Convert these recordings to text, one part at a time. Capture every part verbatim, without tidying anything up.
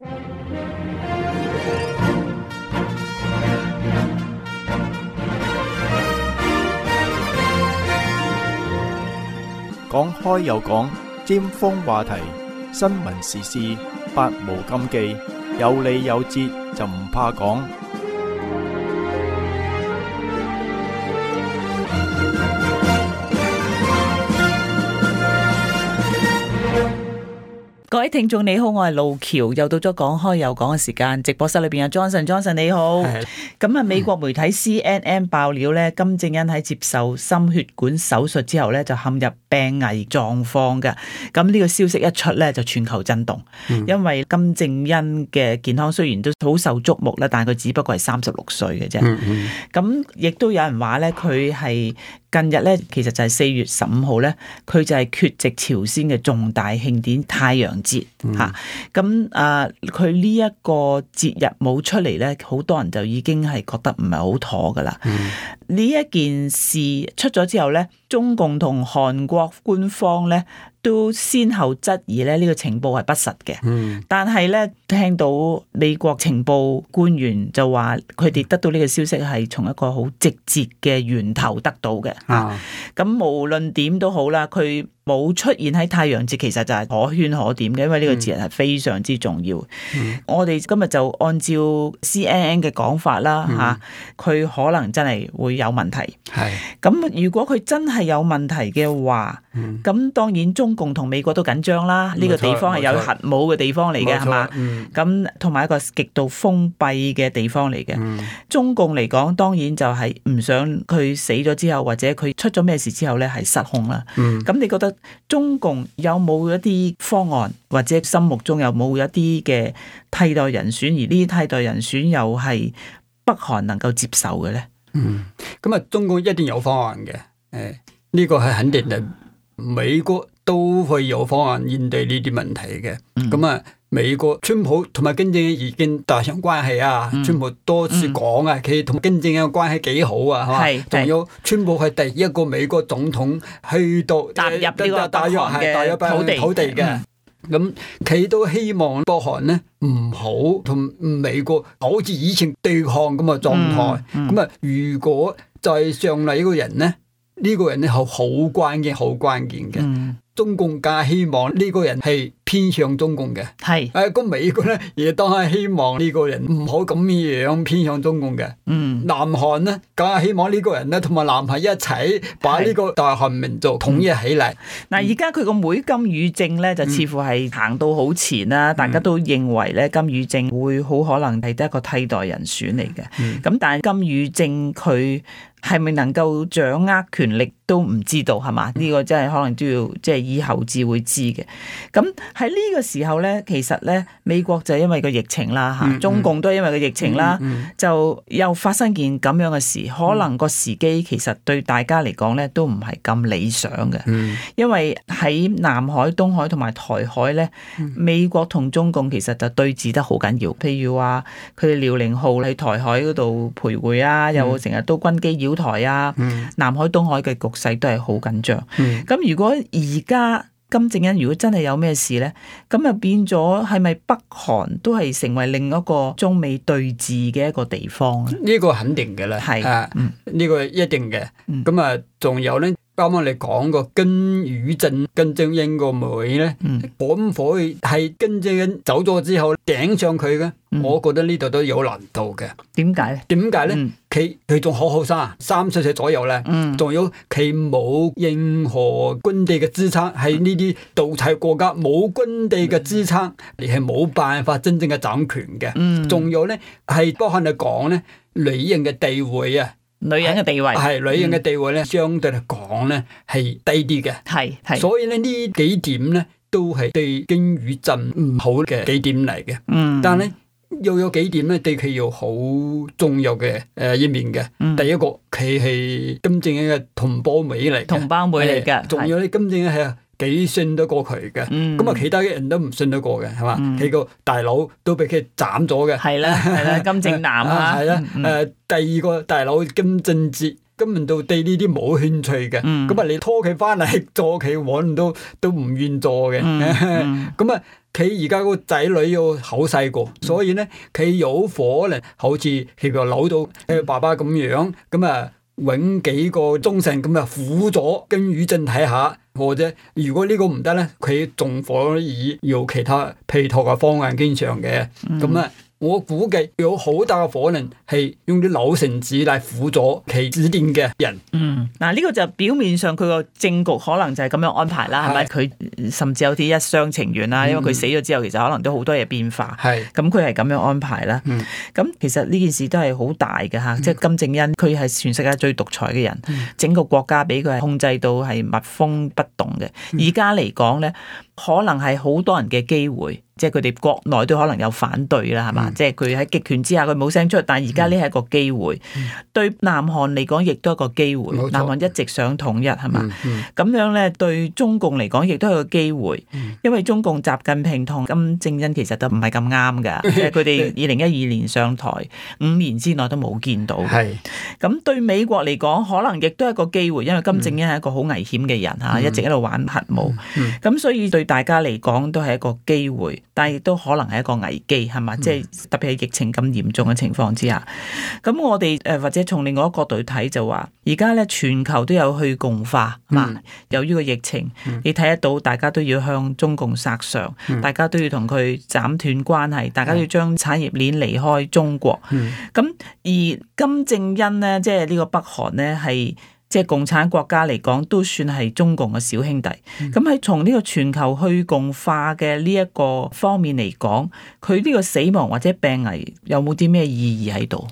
講開又講，尖鋒話題，新聞時事，百無禁忌，有理有節就唔怕講。各位聽眾你好，我係路橋，又到咗講開又講嘅時間。直播室裏邊有 Johnson，Johnson 你好。咁啊，美國媒體 C N N 爆料咧，金正恩喺接受心血管手術之後咧，就陷入病危狀況嘅。咁呢個消息一出咧，就全球震動。嗯、因為金正恩嘅健康雖然都好受矚目啦，但係佢只不過係三十六歲嘅啫。咁亦都有人話咧，佢係近日咧，其實就係四月十五號咧，佢就係缺席朝鮮嘅重大慶典太陽節嚇。咁啊、嗯，佢呢一個節日冇出嚟咧，好多人就已經係覺得唔係好妥噶啦。呢、嗯、一件事出咗之後咧，中共同韓國官方咧都先後質疑咧呢個情報係不實嘅。嗯、但係咧聽到美國情報官員就話，佢哋得到呢個消息係從一個好直接嘅源頭得到嘅。啊，咁無論點都好啦，佢冇出現喺太陽節，其實就係可圈可點嘅，因為呢個節日係非常之重要。嗯、我哋今日就按照 C N N 嘅講法啦，吓、嗯，佢、啊、可能真係會有問題。係咁是，如果佢真係有問題嘅話，咁、嗯、當然中共同美國都緊張啦。呢、嗯、個地方係有核武嘅地方嚟嘅，係嘛？咁同埋一個極度封閉嘅地方嚟嘅。嗯、中共嚟講，當然就係唔想佢死咗之後，或者佢出咗咩事之後咧，係失控啦。咁、嗯、你覺得中共有冇一啲方案，或者心目中有冇一啲嘅替代人選，而呢啲替代人選又係北韓能夠接受嘅咧？嗯，咁啊，中共一定有方案嘅，誒，呢個係肯定嘅。美國都會有方案應對呢啲問題嘅。咁啊、嗯，美國川普同埋金正恩已經達成關係啊，嗯、川普多次講啊，佢同金正恩嘅關係幾好啊，係嘛？仲有川普係第一個美國總統去到踏入呢個北韓嘅土地土地嘅。咁佢都希望北韓呢唔好同美國好似以前對抗咁嘅狀態。咁啊、嗯，嗯、如果再上嚟呢個人呢，呢、呢個人呢係好關鍵、好關鍵嘅。嗯、中共更希望呢個人係偏向中共嘅。係是，誒，咁美國呢亦都係希望呢個人唔好咁樣偏向中共嘅。嗯，南韓呢更係希望呢個人呢同埋南韓一齊把呢個大韓民族統一起嚟。嗱，而家佢個妹金與正咧就似乎係行到好前啦，嗯、大家都認為咧金與正會好可能係得一個替代人選嚟嘅。咁、嗯、但係金與正佢係咪能夠掌握權力都唔知道，係嘛？呢、嗯、個真係可能都要即係以後至會知嘅。咁喺呢個時候咧，其實咧美國就因為個疫情啦嚇，嗯、中共都係因為個疫情啦，嗯嗯、就又發生件咁樣嘅事，可能個時機其實對大家嚟講咧都唔係咁理想嘅，嗯、因為喺南海、東海同埋台海咧，嗯、美國同中共其實就對峙得好緊要。譬如話佢哋遼寧號喺台海嗰度徘徊啊，嗯、又成日都軍機擾台啊，嗯、南海、東海嘅局勢都係好緊張。咁、嗯、如果而家金正恩如果真係有咩事咧，咁啊變咗係咪北韓都係成為另一個中美對峙嘅一個地方咧？呢個肯定嘅啦，係啊，呢、嗯、個一定嘅。咁啊、嗯，仲有咧，啱啱你講個金與正，金正恩個妹咧，可唔可以係金正恩走咗之後頂上佢嘅？嗯、我覺得呢度都有難度嘅。點解咧？點解咧？佢佢仲好後生，三十歲左右咧，仲、嗯、有佢冇任何軍地嘅支撐，喺呢啲獨裁國家冇軍地嘅支撐，你係冇辦法真正嘅掌權嘅。仲、嗯、有咧，係北韓嚟講咧，女人嘅地位啊。女人嘅地位係女人嘅地位咧，嗯、相對嚟講咧係低啲嘅，係係，所以咧呢幾點咧都係對金與正唔好嘅幾點嚟嘅。嗯，但係咧又有幾點咧對佢有好重要嘅誒一面嘅。嗯、第一個佢係金正恩嘅同胞妹嚟，同胞妹嚟嘅，仲有咧金正恩係幾信得過佢嘅，咁啊、嗯、其他嘅人都唔信得過嘅，係嘛？佢個、嗯、大佬都俾佢斬咗嘅，係啦係啦，金正男啊，係啦，誒第二個大佬金正哲，根本都對呢啲冇興趣嘅。咁啊、嗯，你拖佢翻嚟做佢揾都都唔願做嘅。咁啊、嗯，佢而家個仔女又好細個，所以咧佢有可能好似佢個老到佢爸爸咁樣，咁啊揾幾個鐘神咁啊輔助跟語症睇下。或者如果呢個唔得咧，佢仲可以有其他配套嘅方案經常嘅。咁啊、嗯，我估計有好大嘅可能係用啲老臣子嚟輔助其指定嘅人。嗯，嗱、這、呢個就表面上佢個政局可能就係咁樣安排啦，係咪？佢甚至有啲一廂情願啦，因為佢死咗之後，其實可能都好多嘢變化。係咁佢係咁樣安排啦。咁、嗯、其實呢件事都係好大嘅嚇，嗯、即係金正恩佢係全世界最獨裁嘅人，嗯、整個國家俾佢係控制到係密封不動嘅。而家嚟講咧，可能係好多人嘅機會。即係佢哋國內都可能有反對啦，係嘛？嗯、即係佢喺極權之下佢冇聲出，但係而家呢係一個機會，嗯、對南韓嚟講亦都係一個機會。錯南韓一直想統一係嘛？咁、嗯嗯、樣咧對中共嚟講亦都係個機會，嗯、因為中共習近平同金正恩其實都唔係咁啱㗎，即係佢哋二零一二年上台五年之內都冇見到。係咁是對美國嚟講，可能亦都係一個機會，因為金正恩係一個好危險嘅人嚇，嗯、一直喺度玩核武，咁、嗯嗯、所以對大家嚟講都係一個機會。但係亦都可能係一個危機，係嘛？即係、嗯、特別係疫情咁嚴重嘅情況之下，咁我哋誒或者從另外一個角度去睇就話，而家咧全球都有去共化，嘛、嗯？由於個疫情，嗯、你睇得到大家都要向中共索償，嗯、大家都要同佢斬斷關係，大家都要將產業鏈離開中國。咁、嗯、而金正恩咧，即係呢個北韓咧係。即係共產國家嚟講，都算係中共嘅小兄弟。咁喺從呢個全球去共化嘅呢一個方面嚟講，佢呢個死亡或者病危有冇啲咩意義喺度？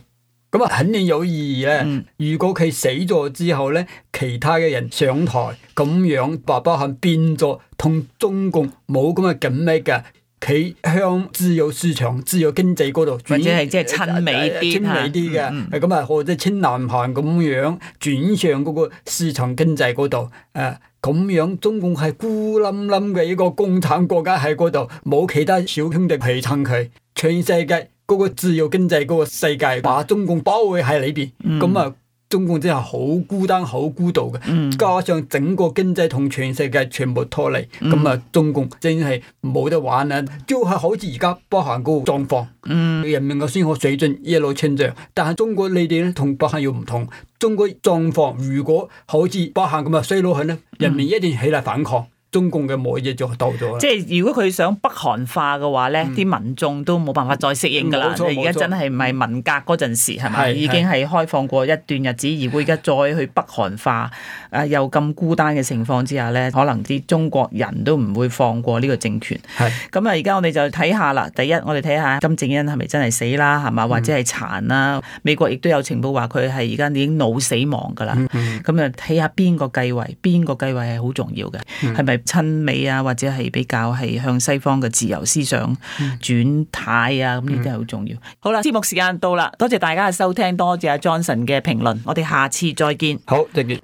咁啊，肯定有意義咧。嗯、如果佢死咗之後咧，其他嘅人上台咁樣，白北韓變咗同中共冇咁嘅緊密嘅。佢向自由市場、自由經濟嗰度，或者係即係親美啲、親美啲嘅，咁啊，或者親南韓咁樣轉向嗰個市場經濟嗰度，誒咁樣中共係孤冧冧嘅一個共產國家喺嗰度，冇其他小兄弟陪襯佢，全世界嗰個自由經濟嗰個世界把中共包圍喺裏邊，咁啊、嗯。中共真係好孤單、好孤獨嘅，嗯、加上整個經濟同全世界全部脫離，咁啊、嗯，中共真係冇得玩啦！就係好似而家北韓嗰個狀況，嗯、人民嘅生活水準一路成長，但係中國你哋咧同北韓又唔同，中國狀況如果好似北韓咁啊衰落去咧，人民一定起嚟反抗。中共嘅末日就到咗啦！即係如果佢想北韓化嘅話咧，啲、嗯、民眾都冇辦法再適應㗎啦。而家真係唔係文革嗰陣時係咪？已經係開放過一段日子，而會而家再去北韓化，誒又咁孤單嘅情況之下咧，可能啲中國人都唔會放過呢個政權。係咁啊！而家我哋就睇下啦。第一，我哋睇下金正恩係咪真係死啦？係嘛？或者係殘啦？嗯、美國亦都有情報話佢係而家已經腦死亡㗎啦。咁啊，睇下邊個繼位，邊個繼位係好重要嘅，係咪、嗯？親美啊，或者係比較係向西方嘅自由思想轉態啊，咁呢啲係好重要。好啦，節目時間到啦，多謝大家嘅收聽，多謝阿 Johnson 嘅評論，我哋下次再見。好，再見。